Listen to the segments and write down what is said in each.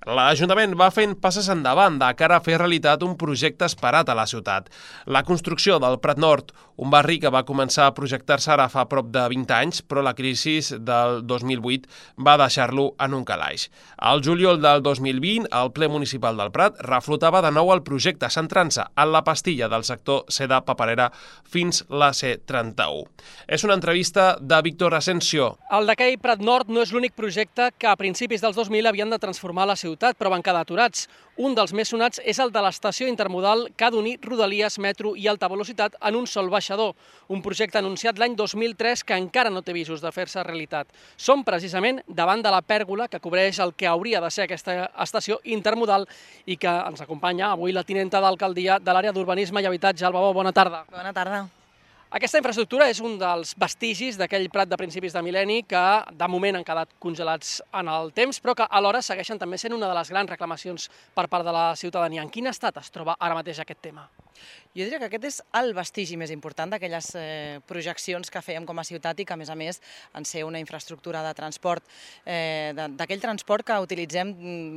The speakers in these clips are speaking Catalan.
L'Ajuntament va fent passes endavant de cara a fer realitat un projecte esperat a la ciutat. La construcció del Prat Nord, un barri que va començar a projectar-se ara fa prop de 20 anys, però la crisi del 2008 va deixar-lo en un calaix. Al juliol del 2020, el ple municipal del Prat reflotava de nou el projecte, centrant-se en la pastilla del sector Seda Paperera fins la C31. És una entrevista de Víctor Asensio. El d'aquell Prat Nord no és l'únic projecte que a principis dels 2000 havien de transformar la ciutat, però van quedar aturats. Un dels més sonats és el de l'estació intermodal que ha d'unir Rodalies, metro i alta velocitat en un sol baixador, un projecte anunciat l'any 2003 que encara no té visos de fer-se realitat. Som precisament davant de la pèrgola que cobreix el que hauria de ser aquesta estació intermodal i que ens acompanya avui la tinenta d'alcaldia de l'àrea d'urbanisme i habitatge. Alba Bou, bona tarda. Bona tarda. Aquesta infraestructura és un dels vestigis d'aquell Prat de principis de mil·lenni que de moment han quedat congelats en el temps, però que alhora segueixen també sent una de les grans reclamacions per part de la ciutadania. En quin estat es troba ara mateix aquest tema? Jo diria que aquest és el vestigi més important d'aquelles projeccions que fèiem com a ciutat i que, a més, en ser una infraestructura de transport, d'aquell transport que utilitzem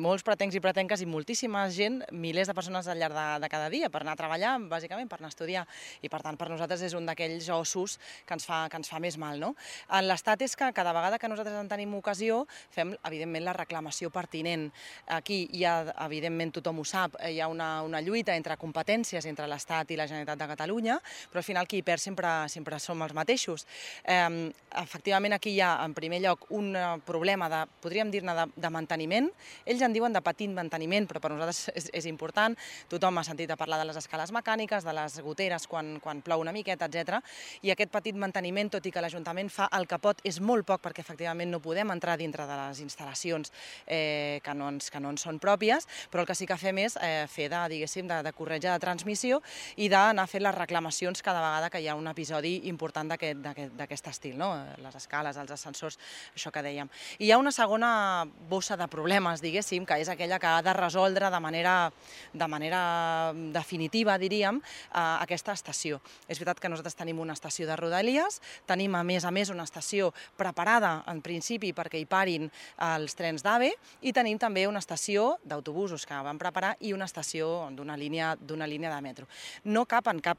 molts pretencs i pretenques i moltíssima gent, milers de persones al llarg de cada dia, per anar a treballar, bàsicament, per anar a estudiar. I, per tant, per nosaltres és un d'aquells ossos que ens fa més mal, no? L'estat és que cada vegada que nosaltres en tenim ocasió fem, evidentment, la reclamació pertinent. Aquí hi ha, evidentment, tothom ho sap, hi ha una lluita entre competències entre l'Estat i la Generalitat de Catalunya, però al final qui hi perd sempre som els mateixos. Efectivament, aquí hi ha, en primer lloc, un problema podríem dir-ne, de manteniment. Ells en diuen de petit manteniment, però per nosaltres és important. Tothom ha sentit a parlar de les escales mecàniques, de les goteres quan plou una miqueta, etc. I aquest petit manteniment, tot i que l'Ajuntament fa el que pot, és molt poc perquè efectivament no podem entrar dintre de les instal·lacions que no ens són pròpies, però el que sí que fem és fer de corretja de transmissió i d'anar fent les reclamacions cada vegada que hi ha un episodi important d'aquest estil, no? Les escales, els ascensors, això que dèiem. I hi ha una segona bossa de problemes, diguéssim, que és aquella que ha de resoldre de manera definitiva, diríem, aquesta estació. És veritat que nosaltres tenim una estació de Rodalies, tenim a més una estació preparada en principi perquè hi parin els trens d'AVE i tenim també una estació d'autobusos que vam preparar i una estació d'una línia de metro. No cap en cap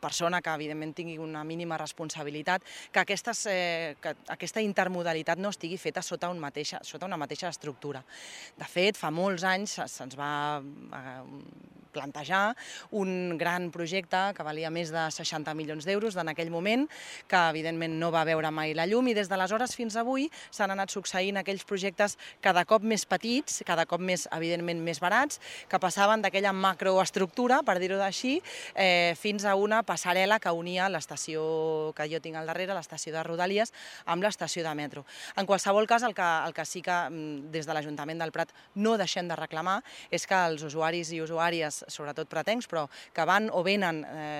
persona que evidentment tingui una mínima responsabilitat que aquesta intermodalitat no estigui feta sota una mateixa estructura. De fet, fa molts anys se'ns va plantejar un gran projecte que valia més de 60 milions d'euros en aquell moment, que evidentment no va veure mai la llum, i des d'aleshores fins avui s'han anat succeint aquells projectes cada cop més petits, cada cop més, evidentment, més barats, que passaven d'aquella macroestructura, per dir-ho així, fins a una passarel·la que unia l'estació que jo tinc al darrere, l'estació de Rodalies, amb l'estació de metro. En qualsevol cas, el que sí que des de l'Ajuntament del Prat no deixem de reclamar és que els usuaris i usuàries, sobretot pratencs, però que van o venen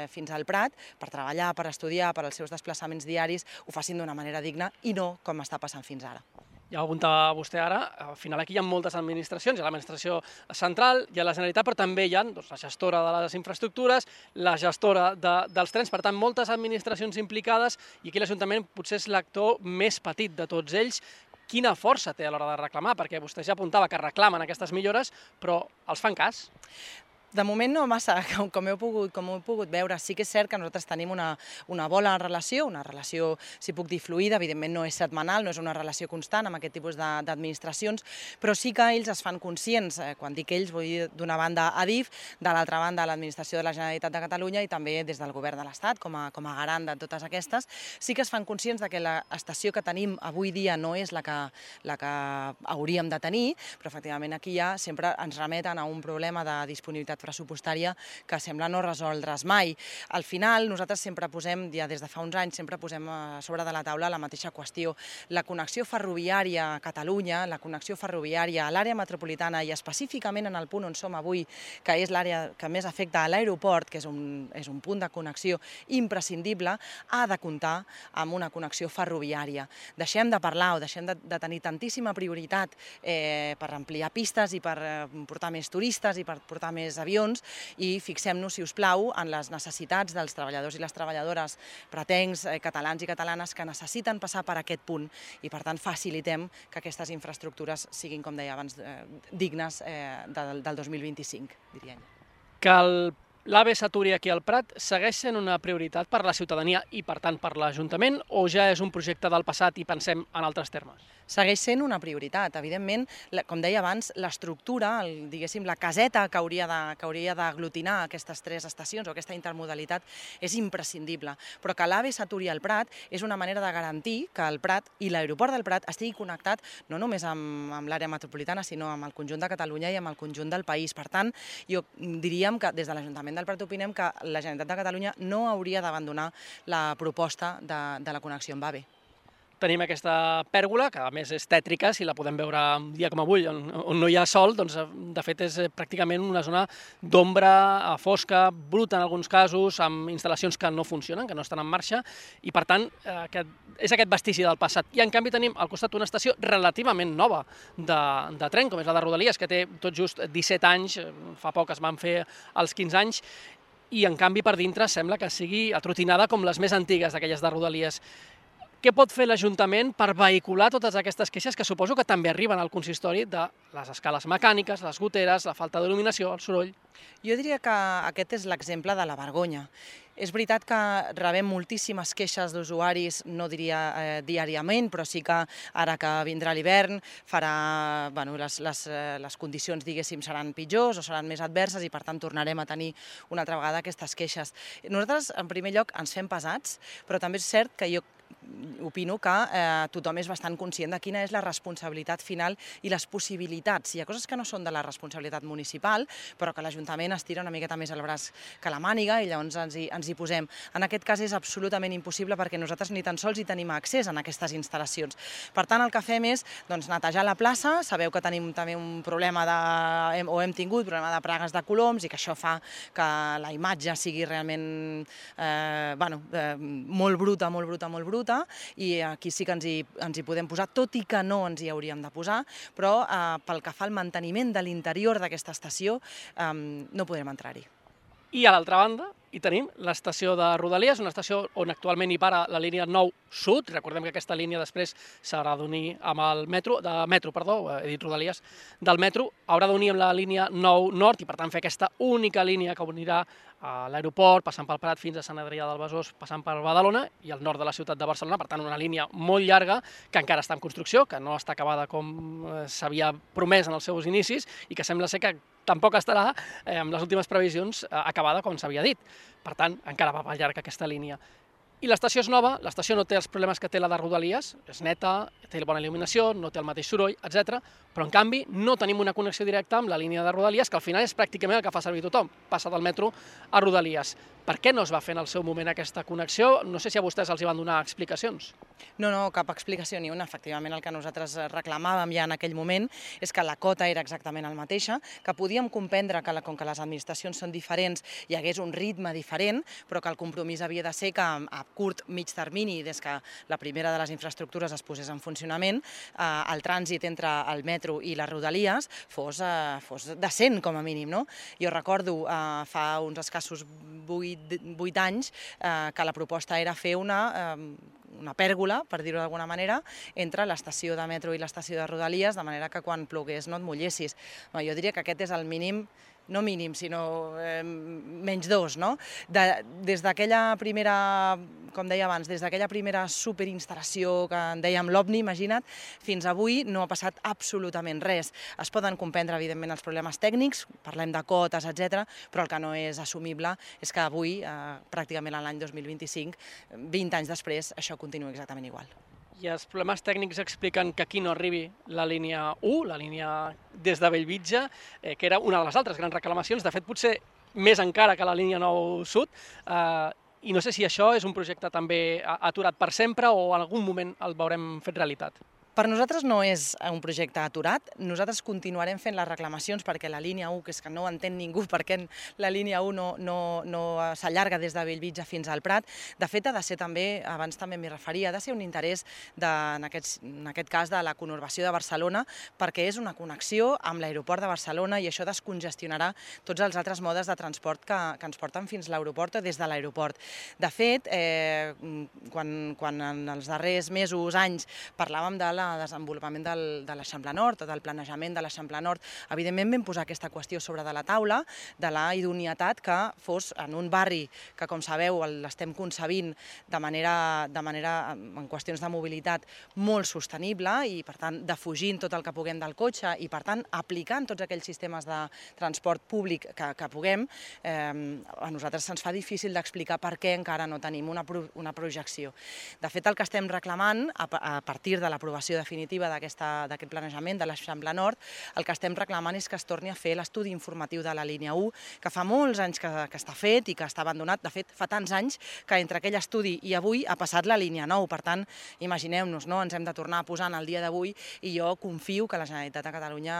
fins al Prat per treballar, per estudiar, per als seus desplaçaments diaris, ho facin d'una manera digna i no com està passant fins ara. Ja ho apuntava vostè ara, al final aquí hi ha moltes administracions, hi ha l'administració central, hi ha la Generalitat, però també hi ha la gestora de les infraestructures, la gestora dels trens, per tant, moltes administracions implicades, i aquí l'Ajuntament potser és l'actor més petit de tots ells. Quina força té a l'hora de reclamar? Perquè vostè ja apuntava que reclamen aquestes millores, però els fan cas? De moment no massa, com he pogut veure. Sí que és cert que nosaltres tenim una bona relació, una relació, si puc dir, fluida, evidentment no és setmanal, no és una relació constant amb aquest tipus d'administracions, però sí que ells es fan conscients, quan dic ells vull dir d'una banda Adif, de l'altra banda l'Administració de la Generalitat de Catalunya i també des del Govern de l'Estat, com a garant de totes aquestes, sí que es fan conscients que l'estació que tenim avui dia no és la que hauríem de tenir, però efectivament aquí ja sempre ens remeten a un problema de disponibilitat pressupostària que sembla no resoldre's mai. Al final, nosaltres sempre posem, ja des de fa uns anys, sempre posem a sobre de la taula la mateixa qüestió. La connexió ferroviària a Catalunya, la connexió ferroviària a l'àrea metropolitana i específicament en el punt on som avui, que és l'àrea que més afecta a l'aeroport, que és un punt de connexió imprescindible, ha de comptar amb una connexió ferroviària. Deixem de parlar o deixem de tenir tantíssima prioritat per ampliar pistes i per portar més turistes i per portar més avions estacions i fixem-nos, si us plau, en les necessitats dels treballadors i les treballadores pretencs, catalans i catalanes que necessiten passar per aquest punt i, per tant, facilitem que aquestes infraestructures siguin, com deia abans, dignes del 2025, diria. Que l'AVE s'aturi aquí al Prat segueix sent una prioritat per la ciutadania i, per tant, per l'Ajuntament, o ja és un projecte del passat i pensem en altres termes? Segueix sent una prioritat. Evidentment, com deia abans, l'estructura, diguéssim, la caseta que hauria d'aglutinar aquestes 3 estacions o aquesta intermodalitat és imprescindible. Però que l'AVE s'aturi al Prat és una manera de garantir que el Prat i l'aeroport del Prat estigui connectat no només amb l'àrea metropolitana, sinó amb el conjunt de Catalunya i amb el conjunt del país. Per tant, diríem que des de l'Ajuntament del Prat opinem que la Generalitat de Catalunya no hauria d'abandonar la proposta de la connexió amb AVE. Tenim aquesta pèrgola, que a més és tètrica, si la podem veure un dia com avui, on no hi ha sol, doncs de fet és pràcticament una zona d'ombra fosca, bruta en alguns casos, amb instal·lacions que no funcionen, que no estan en marxa, i per tant és aquest vestigi del passat. I en canvi tenim al costat una estació relativament nova de tren, com és la de Rodalies, que té tot just 17 anys, fa poc es van fer els 15 anys, i en canvi per dintre sembla que sigui atrotinada com les més antigues d'aquelles de Rodalies. Què pot fer l'Ajuntament per vehicular totes aquestes queixes que suposo que també arriben al consistori de les escales mecàniques, les goteres, la falta d'il·luminació, el soroll? Jo diria que aquest és l'exemple de la vergonya. És veritat que rebem moltíssimes queixes d'usuaris, no diria diàriament, però sí que ara que vindrà l'hivern les condicions, diguéssim, seran pitjors o seran més adverses i, per tant, tornarem a tenir una altra vegada aquestes queixes. Nosaltres, en primer lloc, ens fem pesats, però també és cert que jo opino que tothom és bastant conscient de quina és la responsabilitat final i les possibilitats. Hi ha coses que no són de la responsabilitat municipal, però que l'Ajuntament estira una miqueta més el braç que la màniga i llavors ens hi posem. En aquest cas és absolutament impossible perquè nosaltres ni tan sols hi tenim accés en aquestes instal·lacions. Per tant, el que fem és netejar la plaça. Sabeu que tenim també un problema hem tingut problema de pragues de coloms i que això fa que la imatge sigui realment molt bruta, i aquí sí que ens hi podem posar, tot i que no ens hi hauríem de posar, però pel que fa al manteniment de l'interior d'aquesta estació no podrem entrar-hi. I a l'altra banda hi tenim l'estació de Rodalies, una estació on actualment hi para la línia 9 Sud. Recordem que aquesta línia després s'haurà d'unir amb el metro, he dit Rodalies, del metro, haurà d'unir amb la línia 9 Nord i per tant fer aquesta única línia que unirà a l'aeroport, passant pel Prat fins a Sant Adrià del Besòs, passant per Badalona i al nord de la ciutat de Barcelona. Per tant, una línia molt llarga que encara està en construcció, que no està acabada com s'havia promès en els seus inicis i que sembla ser que tampoc estarà, amb les últimes previsions, acabada com s'havia dit. Per tant, encara va per llarg aquesta línia. I l'estació és nova, l'estació no té els problemes que té la de Rodalies, és neta, té bona il·luminació, no té el mateix soroll, etc. Però en canvi no tenim una connexió directa amb la línia de Rodalies, que al final és pràcticament el que fa servir tothom, passa del metro a Rodalies. Per què no es va fer en el seu moment aquesta connexió? No sé si a vostès els hi van donar explicacions. No, cap explicació ni una. Efectivament, el que nosaltres reclamàvem ja en aquell moment és que la cota era exactament la mateixa, que podíem comprendre que com que les administracions són diferents hi hagués un ritme diferent, però que el compromís havia de ser que a curt, mig termini, des que la primera de les infraestructures es posés en funcionament, el trànsit entre el metro i les Rodalies fos decent, com a mínim. Jo recordo fa uns escassos 8 anys que la proposta era fer una pèrgola, per dir-ho d'alguna manera, entre l'estació de metro i l'estació de Rodalies, de manera que quan plogués no et mullessis. Jo diria que aquest és el mínim, no mínim, sinó menys 2, no? Des d'aquella primera, com deia abans, des d'aquella primera superinstal·lació que en dèiem l'OVNI, imagina't, fins avui no ha passat absolutament res. Es poden comprendre, evidentment, els problemes tècnics, parlem de cotes, etc., però el que no és assumible és que avui, pràcticament a l'any 2025, 20 anys després, això continua exactament igual. I els problemes tècnics expliquen que aquí no arribi la línia 1, la línia des de Bellvitge, que era una de les altres grans reclamacions, de fet potser més encara que la línia 9 Sud, i no sé si això és un projecte també aturat per sempre o en algun moment el veurem fet realitat. Per nosaltres no és un projecte aturat, nosaltres continuarem fent les reclamacions perquè la línia 1, que és que no entén ningú per què la línia 1 no s'allarga des de Bellvitge fins al Prat. De fet, ha de ser també, abans també m'hi referia, ha de ser un interès, en aquest cas, de la conurbació de Barcelona, perquè és una connexió amb l'aeroport de Barcelona i això descongestionarà tots els altres modes de transport que ens porten fins a l'aeroport o des de l'aeroport. De fet, quan en els darrers mesos, anys, parlàvem del desenvolupament de l'Eixample Nord o del planejament de l'Eixample Nord, evidentment vam posar aquesta qüestió sobre de la taula de la idoneïtat que fos en un barri que, com sabeu, l'estem concebint de manera en qüestions de mobilitat molt sostenible i, per tant, defugint tot el que puguem del cotxe i, per tant, aplicant tots aquells sistemes de transport públic que puguem, a nosaltres se'ns fa difícil d'explicar per què encara no tenim una projecció. De fet, el que estem reclamant, a partir de l'aprovació definitiva d'aquest planejament de l'Eixample Nord, el que estem reclamant és que es torni a fer l'estudi informatiu de la línia 1, que fa molts anys que està fet i que està abandonat. De fet, fa tants anys que entre aquell estudi i avui ha passat la línia 9. Per tant, imagineu-nos, ens hem de tornar a posar en el dia d'avui i jo confio que la Generalitat de Catalunya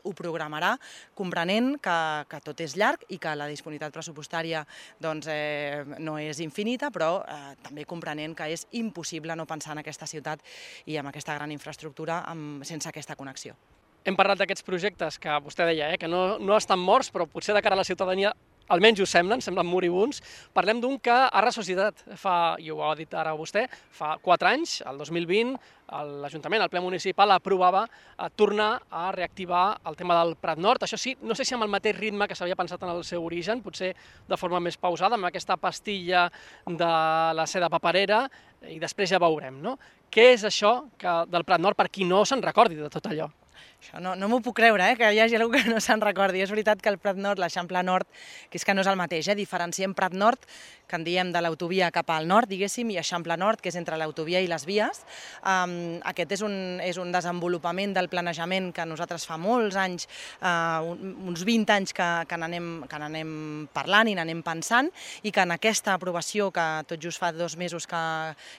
ho programarà, comprenent que tot és llarg i que la disponibilitat pressupostària no és infinita, però també comprenent que és impossible no pensar en aquesta ciutat i amb aquesta gran infraestructura sense aquesta connexió. Hem parlat d'aquests projectes que vostè deia, que no estan morts, però potser de cara a la ciutadania almenys ho semblen moribunds. Parlem d'un que ha ressuscitat, i ho ha dit ara vostè, fa 4 anys, el 2020, l'Ajuntament, el ple municipal, aprovava tornar a reactivar el tema del Prat Nord. Això sí, no sé si amb el mateix ritme que s'havia pensat en el seu origen, potser de forma més pausada, amb aquesta pastilla de la seda paperera, i després ja veurem, no? Què és això del Prat Nord, per qui no se'n recordi de tot allò? Això no m'ho puc creure, que hi hagi algú que no se'n recordi. És veritat que el Prat Nord, l'Eixample Nord, que és que no és el mateix, diferenciem Prat Nord, que en diem de l'autovia cap al nord, diguéssim, i Eixample Nord, que és entre l'autovia i les vies. Aquest és un desenvolupament del planejament que nosaltres fa molts anys, uns 20 anys que n'anem parlant i n'anem pensant, i que en aquesta aprovació, que tot just fa 2 mesos que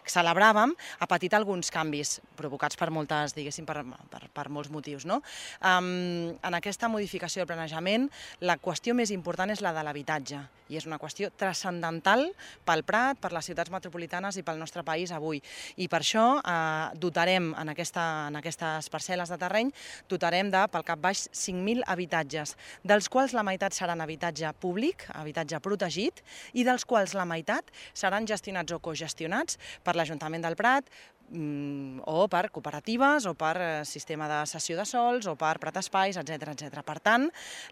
celebràvem, ha patit alguns canvis, provocats per moltes, diguéssim, per molts motius. En aquesta modificació del planejament, la qüestió més important és la de l'habitatge, i és una qüestió transcendental pel Prat, per les ciutats metropolitanes i pel nostre país avui. I per això dotarem en aquestes parcel·les de terreny, dotarem pel cap baix 5.000 habitatges, dels quals la meitat seran habitatge públic, habitatge protegit, i dels quals la meitat seran gestionats o cogestionats per l'Ajuntament del Prat, o per cooperatives, o per sistema de cessió de sols, o per Prat Espais, etc. Per tant,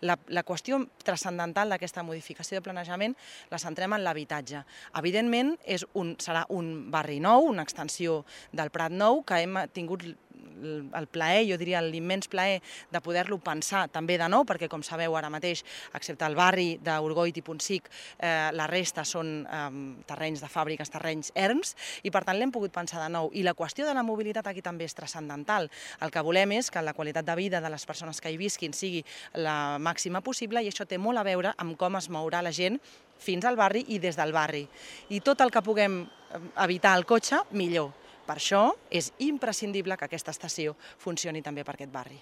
la qüestió transcendental d'aquesta modificació de planejament la centrem en l'habitatge. Evidentment, serà un barri nou, una extensió del Prat nou, que hem tingut el plaer, jo diria l'immens plaer de poder-lo pensar també de nou, perquè com sabeu ara mateix, excepte el barri d'Orgoit i Pontsic, la resta són terrenys de fàbriques, terrenys erms, i per tant l'hem pogut pensar de nou. I la qüestió de la mobilitat aquí també és transcendental. El que volem és que la qualitat de vida de les persones que hi visquin sigui la màxima possible, i això té molt a veure amb com es mourà la gent fins al barri i des del barri. I tot el que puguem evitar el cotxe, millor. Per això és imprescindible que aquesta estació funcioni també per aquest barri.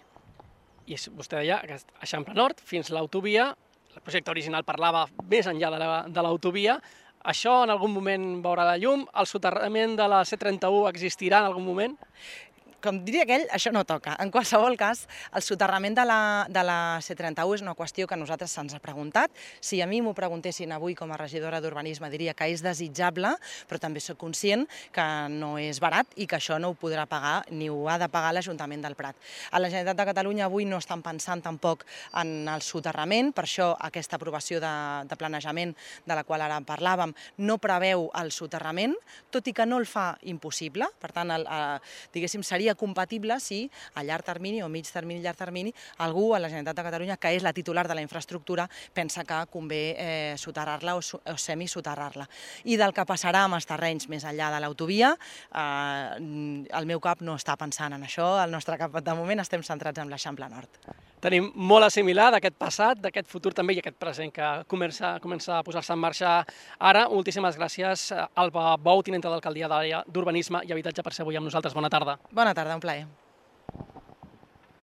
I vostè deia que Eixample Nord fins a l'autovia, el projecte original parlava més enllà de l'autovia, això en algun moment veurà la llum? El soterrament de la C31 existirà en algun moment? Com diria aquell, això no toca. En qualsevol cas, el soterrament de la C31 és una qüestió que a nosaltres se'ns ha preguntat. Si a mi m'ho preguntessin avui com a regidora d'Urbanisme, diria que és desitjable, però també soc conscient que no és barat i que això no ho podrà pagar ni ho ha de pagar l'Ajuntament del Prat. A la Generalitat de Catalunya avui no estan pensant tampoc en el soterrament, per això aquesta aprovació de planejament de la qual ara parlàvem no preveu el soterrament, tot i que no el fa impossible. Per tant, diguéssim, seria compatible si a llarg termini o mig termini, llarg termini, algú a la Generalitat de Catalunya, que és la titular de la infraestructura, pensa que convé soterrar-la o semisoterrar-la. I del que passarà amb els terrenys més enllà de l'autovia, el meu cap no està pensant en això, el nostre cap de moment estem centrats en l'Eixample Nord. Tenim molt a assimilar d'aquest passat, d'aquest futur també i aquest present que comença a posar-se en marxa ara. Moltíssimes gràcies, Alba Bou, tinenta d'alcaldia d'Àrea d'Urbanisme i Habitatge, per ser avui amb nosaltres. Bona tarda. Bona tarda, un plaer.